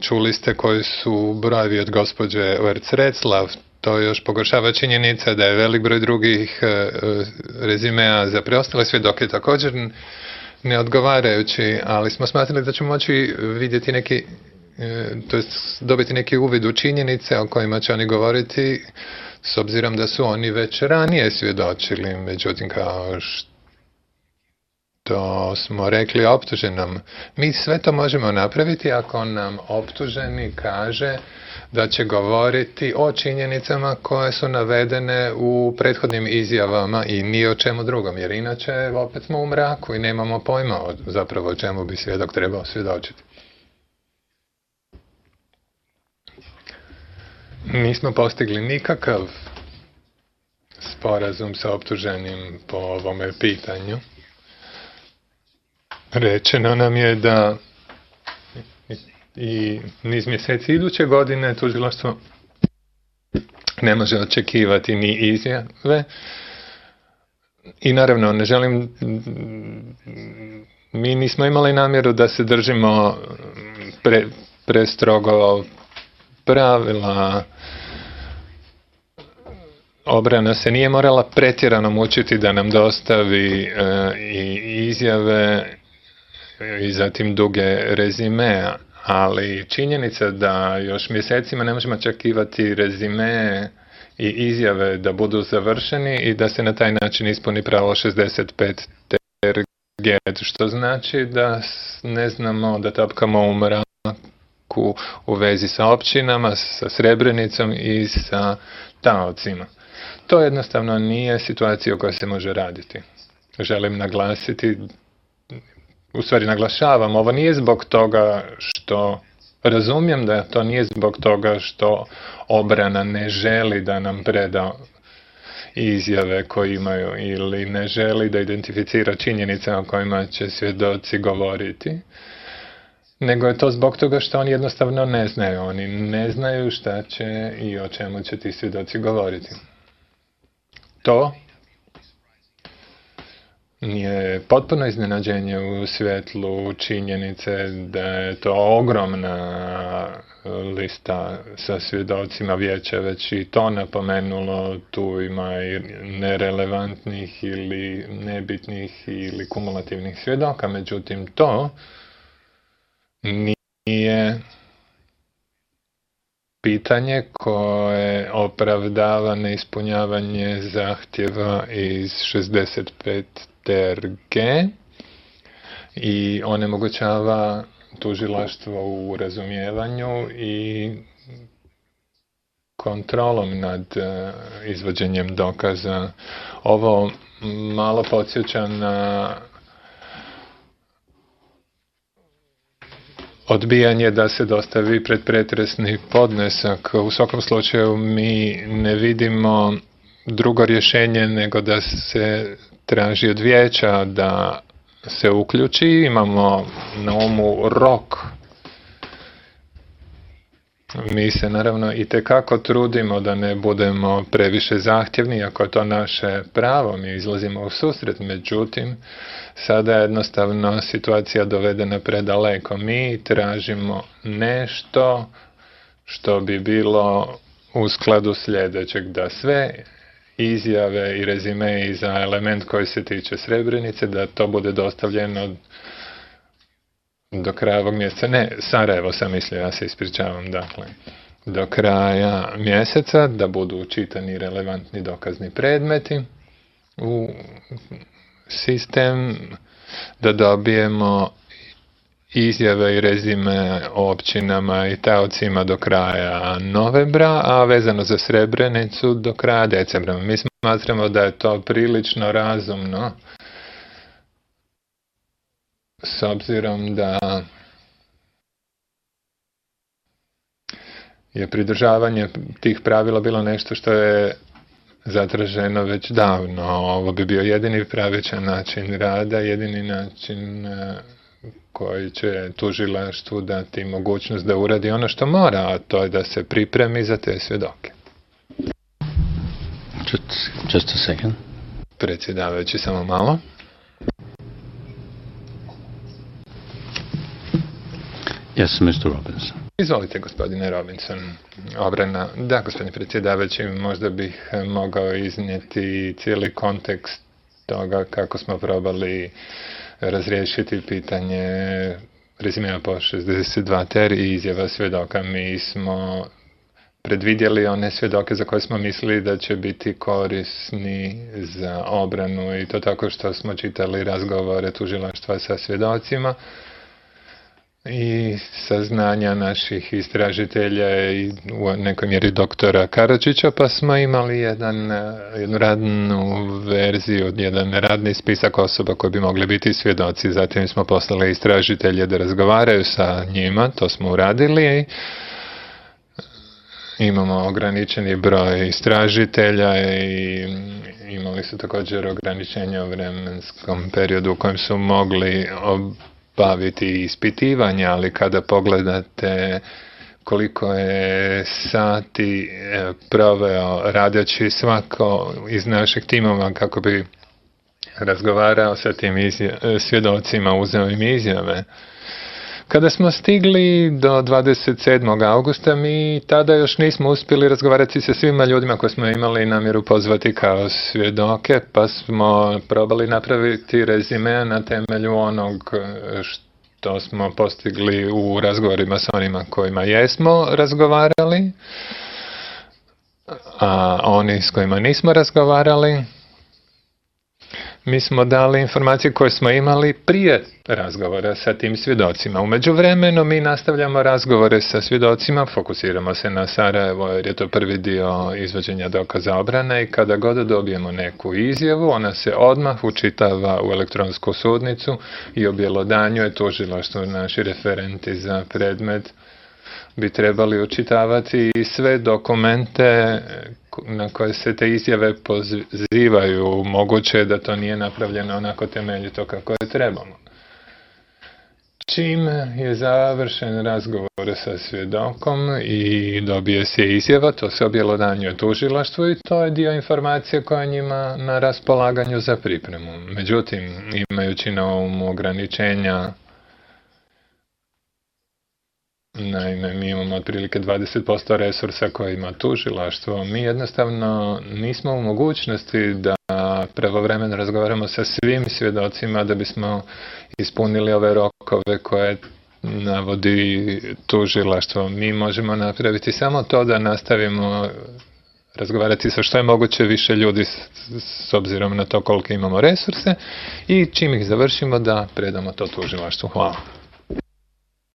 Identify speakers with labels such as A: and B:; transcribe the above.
A: Čuli ste koji su brojevi od gospođe Werc-Retzlaff. To još pogoršava činjenica da je velik broj drugih rezimea za preostale svjedoke također neodgovarajući, ali smo smatrali da ćemo moći vidjeti neki, to jest dobiti neki uvid u činjenice o kojima će oni govoriti, s obzirom da su oni već ranije svjedočili. Međutim, kao što smo rekli optuženom, mi sve to možemo napraviti ako nam optuženi kaže da će govoriti o činjenicama koje su navedene u prethodnim izjavama i ni o čemu drugom, jer inače opet smo u mraku i nemamo pojma zapravo o čemu bi svjedok trebao svjedočiti. Nismo postigli nikakav sporazum sa optuženim po ovome pitanju. Rečeno nam je da i niz mjeseci iduće godine tužilaštvo ne može očekivati ni izjave. I naravno, ne želim, mi nismo imali namjeru da se držimo prestrogo pravila. Obrana se nije morala pretjerano mučiti da nam dostavi i izjave i zatim duge rezime, ali činjenica da još mjesecima ne možemo očekivati rezime i izjave da budu završeni i da se na taj način ispuni pravo 65 TRG, što znači da ne znamo, da tapkamo u mraku u vezi sa općinama, sa Srebrenicom i sa taocima. To jednostavno nije situacija u kojoj se može raditi. Želim naglasiti, u stvari naglašavam, ovo nije zbog toga što, razumijem da to nije zbog toga što obrana ne želi da nam preda izjave koje imaju ili ne želi da identificira činjenice o kojima će svjedoci govoriti, nego je to zbog toga što oni jednostavno ne znaju. Oni ne znaju šta će i o čemu će ti svjedoci govoriti. To je potpuno iznenađenje u svjetlu činjenice da je to ogromna lista sa svjedocima. Vijeća već i to napomenulo, tu ima i nerelevantnih ili nebitnih ili kumulativnih svjedoka, međutim to nije pitanje koje opravdava neispunjavanje zahtjeva iz 65 TRG i onemogućava tužilaštvo u razumijevanju i kontrolom nad izvođenjem dokaza. Ovo malo podsjeća na odbijanje da se dostavi predpretresni podnesak. U svakom slučaju mi ne vidimo drugo rješenje nego da se traži od vijeća da se uključi. Imamo na umu rok. Mi se naravno itekako trudimo da ne budemo previše zahtjevni, ako je to naše pravo, mi izlazimo u susret, međutim, sada je jednostavno situacija dovedena predaleko. Mi tražimo nešto što bi bilo u skladu sljedećeg, da sve izjave i rezime za element koji se tiče Srebrenice, da to bude dostavljeno do kraja ovog mjeseca. Ne, Sarajevo sam mislio, ja se ispričavam, dakle, do kraja mjeseca, da budu čitani relevantni dokazni predmeti u sistem, da dobijemo izjave i rezime o općinama i taocima do kraja novembra, a vezano za Srebrenicu do kraja decembra. Mi smatramo da je to prilično razumno, s obzirom da je pridržavanje tih pravila bilo nešto što je zatraženo već davno. Ovo bi bio jedini pravičan način rada, jedini način koji će tužilaštvu dati mogućnost da uradi ono što mora, a to je da se pripremi za te svjedoke.
B: Just a second.
A: Predsjedavajući, samo malo.
B: Yes, Mr. Robinson.
A: Izvolite, gospodine Robinson. Obrana. Da, gospodine predsjedavajući, možda bih mogao iznijeti cijeli kontekst toga kako smo probali razriješiti pitanje rezimea po 62 ter i izjava svjedoka. Mi smo predvidjeli one svjedoke za koje smo mislili da će biti korisni za obranu i to tako što smo čitali razgovore tužilaštva sa svjedocima i saznanja naših istražitelja i u nekoj mjeri doktora Karadžića, pa smo imali jednu radnu verziju, jedan radni spisak osoba koji bi mogli biti svjedoci. Zatim smo poslali istražitelje da razgovaraju sa njima, to smo uradili i imamo ograničeni broj istražitelja i imali su također ograničenja u vremenskom periodu u kojem su mogli baviti ispitivanja, ali kada pogledate koliko je sati proveo radeći svako iz naših timova kako bi razgovarao sa tim svjedocima, uzeo im izjave. Kada smo stigli do 27. augusta, mi tada još nismo uspjeli razgovarati sa svima ljudima koje smo imali namjeru pozvati kao svjedoke, pa smo probali napraviti rezime na temelju onog što smo postigli u razgovorima s onima kojima jesmo razgovarali, a oni s kojima nismo razgovarali. Mi smo dali informacije koje smo imali prije razgovora sa tim svjedocima. U međuvremenu mi nastavljamo razgovore sa svjedocima, fokusiramo se na Sarajevo jer je to prvi dio izvođenja dokaza obrane i kada god dobijemo neku izjavu, ona se odmah učitava u elektronsku sudnicu i objelodanjuje tužilaštvo. Naši referenti za predmet bi trebali učitavati i sve dokumente na koje se te izjave pozivaju. Moguće je da to nije napravljeno onako temeljito kako je trebalo. Čim je završen razgovor sa svjedokom i dobije se izjava, to se objelodanjuje tužilaštvu i to je dio informacije koja je njima na raspolaganju za pripremu. Međutim, imajući na umu ograničenja, naime, mi imamo otprilike 20% resursa koje ima tužilaštvo. Mi jednostavno nismo u mogućnosti da pravovremeno razgovaramo sa svim svjedocima da bismo ispunili ove rokove koje navodi tužilaštvo. Mi možemo napraviti samo to da nastavimo razgovarati sa što je moguće više ljudi s obzirom na to koliko imamo resurse i čim ih završimo da predamo to tužilaštvu. Hvala.